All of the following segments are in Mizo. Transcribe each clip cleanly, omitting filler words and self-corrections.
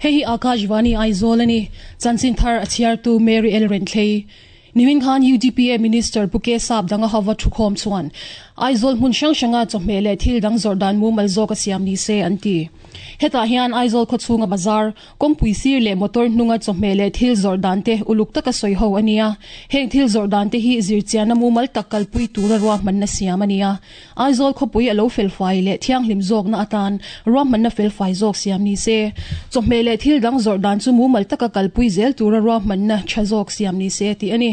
Hei hi Akashvani Aizawl a ni. Chanchin thar a chhiartu Mary L. Renthlei. Nimin khan UDPA Minister Pu K Sap danga hova thukhawm chuan Aizawl hmun hrang hranga chawhmeh leh thil dang zawrh dan mumal zawk a siam ni se an ti. Hetah hian Aizawl khawchhunga bazar, Kawngpui sir leh motor hnunga chawhmeh leh thil zawrh dan te uluk taka sawi ho a ni a. Heng thil zawrh dan te hi zirchianna mumal tak kalpui tura ruahmanna siam a ni a. Aizawl khawpui a lo felfai leh thianghlim zawkna atan ruahmanna felfai zawk siam ni se. Chawhmeh leh thil dang zawrh dan chu mumal taka kalpui zel tura ruahmanna tha zawk siam ni se tih a ni.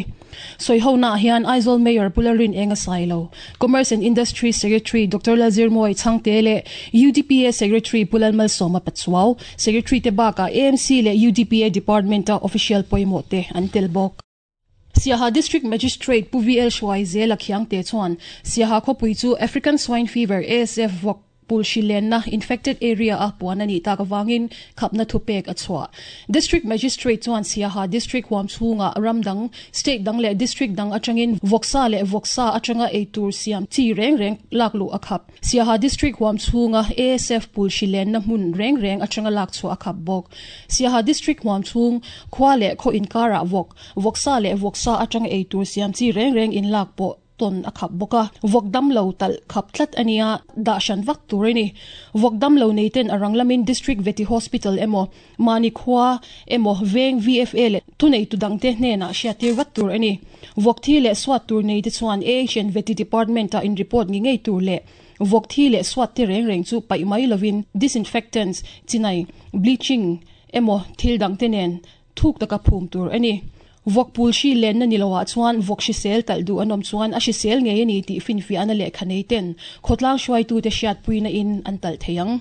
Sawihonaah hian Aizawl Mayor Pu Lalrin Eng a sai lo. Commerce and Industries Secretary Doctor Lalzirmawi Chhangte leh UDPA Secretary Pu Lalmalsawma Pachuau, Secretary te bakah AMC leh UDPA Department-a official pawimawh te an tel bawk. Siaha District Magistrate Pu VL Hruaizela Khiangte chuan Siaha khawpui chu African Swine Fever, ASF, vawk Pulhri lenna, infected area, a puan a nih tak avangin khapna thupek a chhuah. District Magistrate chuan Siaha District huam chhungah ram dang, state dang leh district dang atangin vawksa leh vawksa atanga eitur siam chi reng reng lak luh a khap. Siaha District huam chhunga ASF pulhri lenna hmun reng reng atanga lak chhuah a khap bawk. Siaha District huam chhung khua leh khaw inkarah vawk, vawksa leh vawksa atanga eitur siam chi reng reng inlak pawh tawn a khap bawk a, vawk damlo talh khap tlat a nia, dah hran vak tur a ni. Vawk damlo nei ten a rang lamin District Vety Hospital emaw, mahni khua emaw veng VFA leh thuneitu dangte hnenah hriattir vat tur a ni. Vawk thi leh suat tur nei te chuan AHN Vety Department ah in report ngi ngei tur leh vawk thi leh suat te reng reng chu paih mai lovin disinfectants, chinai, bleaching emaw thil dangte nen thuk taka phum tur a ni. Vawk pul hri lenna ni loah chuan vawk hrisel talh duh an awm chuan a hrisel ngei a ni tih finfiahna lehkha nei ten khawtlang hruaitute hriatpuina in an talh thei ang.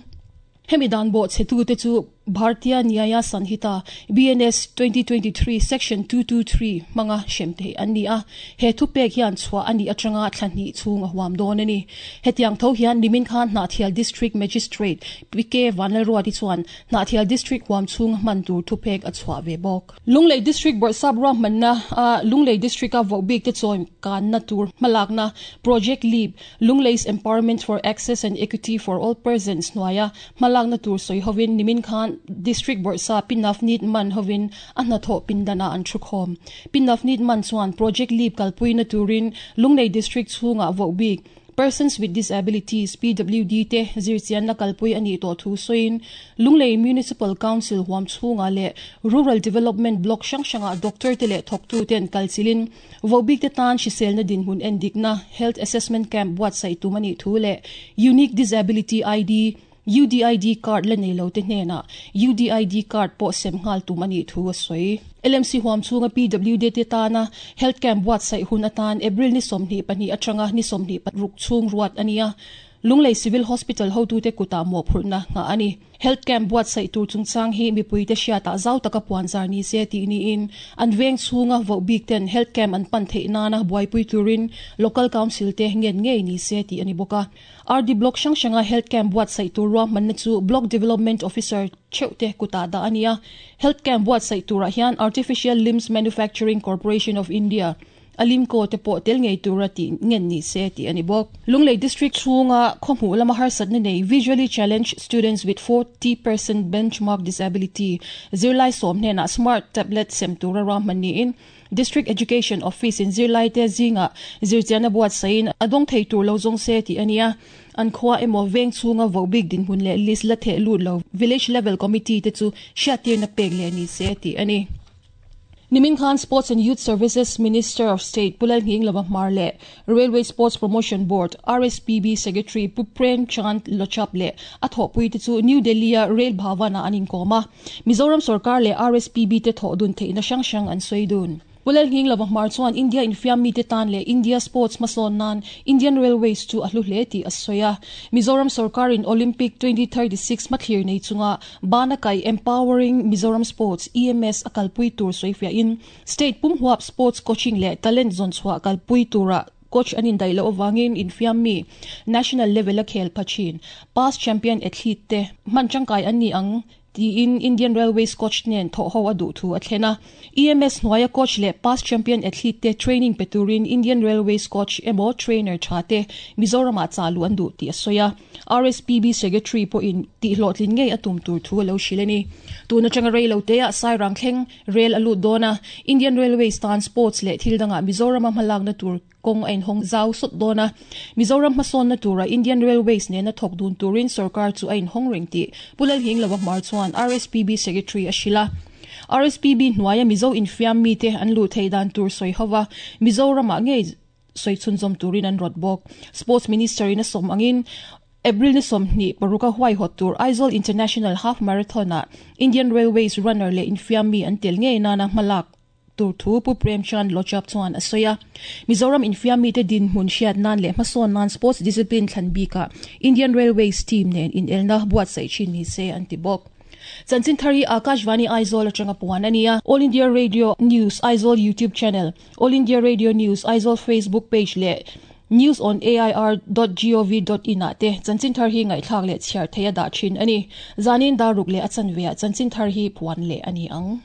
Hemi dan bawhchhetute chu Bhartiya Nyaya Sanhita, BNS, 2023 Section 223 hmanga hrem theih an ni a, he thupek hian chhuah a nih atanga thla hnih chhung a huam dawn a ni. Hetiang tho hian nimin khan Hnahthial District Magistrate PK Vanlalruati chuan Hnahthial District huam chhunga hman tur thupek a chhuah ve bawk. Lunglei District Bawrhsap ruahmanna a Lunglei District-a voh bik te chawi kanna tur hmalakna Project Leap, Lunglei's Empowerment for Access and Equity for All Persons hnuaia hmalakna tur sawi hovin nimin khan District Bawrhsap Pi Navneet Mann hovin a hnathawh pindanah an thukhawm. Pi Navneet Mann chuan Project Leap kalpuina turin Lunglei District chhungah voh bik Persons with Disabilities, PWD, te zirchianna kalpui a nih tawh thu sawiin, Lunglei Municipal Council huam chhungah leh Rural Development Block hrang hrangah doctor te leh thawktuten kalchilhin vohbik te tan hriselna dinhmun endikna Health Assessment Camp buatsaih tum a nih thu leh Unique Disability ID, UDID card la nei lo te hnenah UDID card pawh sem nghal tum a nih thu a sawi. LMC huam chhunga PWD te tana Health Camp buatsaih hun atan April ni 22 atanga ni 26 chhung ruat a ni a, Lunglei Civil Hospital hotute kutah mawhphurhna nghah a ni. Health Camp buatsaih tur chungchang hi mipuite hriatah zau taka puanzar ni se tih niin an veng chhunga voh bik ten Health Camp an pan theih nana buaipui turin Local Council te ngen ngei ni se tih a ni bawk a. RD Block hrang hranga Health Camp buatsaih tur ruahmanna chu Block Development Officer theuh te kutah dah a ni a. Health Camp buatsaih turah hian Artificial Limbs Manufacturing Corporation of India, Alimco, te pawh tel ngei tura tih ngen ni se tih a ni bawk. Lunglei District chhunga khawhmuh lama harsatna nei Visually Challenged Students with 40% Benchmark Disability zirlai sawm hnenah Smart Tablet sem tura ruahman niin District Education Office in zirlaite zingah zirchianna buatsaihin a dawng thei tur lo zawng se tih a ni a, an khua emaw veng chhunga voh bik dinhmun leh list la theh lut lo Village Level Committee te chu hriattirna pek leh ni se tih a ni. Nimin khan Sports and Youth Services Minister of State Pu Lalnghinglova Hmar leh Railway Sports Promotion Board, RSPB, Secretary Pu Prem Chand Lochap leh a thawhpuite chu New Delhi-a Rail Bhavan-ah an inkawm a. Mizoram sorkar leh RSPB te thawh dun theihna hrang hrang an sawi dun. Pu Lalnghinglova Hmar chuan India infiam mite tan leh India sports hmasawn nan Indian Railways chu a hlu hle tih a sawi a. Mizoram sorkarin Olympic 2036 hmathlir nei chunga bana kaih Empowering Mizoram Sports, EMS, a kalpui tur sawifiahin state pumhuap sports coaching leh talent zawnchhuah kalpui tura coach an indaih loh avangin infiam mi national level a khel pha thin past champion athlete te hman tangkai an ni ang. Tiin Indian Railways coach nen thawh ho a duh thu a thlen a. EMS hnuaia coach leh past champion athlete te training pe turin Indian Railways coach emaw trainer tha te Mizoramah chah luh an duh tih a sawi a. RSPB secretary pawhin tihhlawhtlin ngei a tum tur thu a lo hrilh a ni. Tun atanga rei lo teah Sairang thleng rel a lut dawn a, Indian Railways tan sports leh thil dangah Mizorama hmalakna tur Kawng a inhawng zau sawt dawn a, Mizoram hmasawnna tura Indian Railways nena thawk dun turin sorkar chu a inhawng reng tih Pu Lalhingloa Hmar chuan RSPB Secretary a hrilh a. RSPB hnuaia Mizo infiam mite an luh theih dan tur sawi ho va, Mizoramah ngei sawi chhunzawm turin an rawt bawk. Sports Minister in a sawm angin April ni 26 a huaihawt tur Aizawl International Half Marathon-ah Indian Railways runner leh infiam mi an tel ngei nana hmalak tur thu Pu Prem Chand Lochap chuan a sawi a. Mizoram infiam mite dinhmun hriat nan leh hmasawn nan sports discipline thlan bikah Indian Railways team nen inelna buatsaih thin ni se an ti bawk. Chanchin thar hi Akashvani Aizawl atanga puan a ni a. All India Radio News Aizawl YouTube channel, All India Radio News Aizawl Facebook page leh News on air dot gov dot in ah te chanchin thar hi ngaihthlak leh chhiar theih a dah thin a ni. Zanin dar ruk leh a chanve ah chanchin thar hi puan leh a ni ang.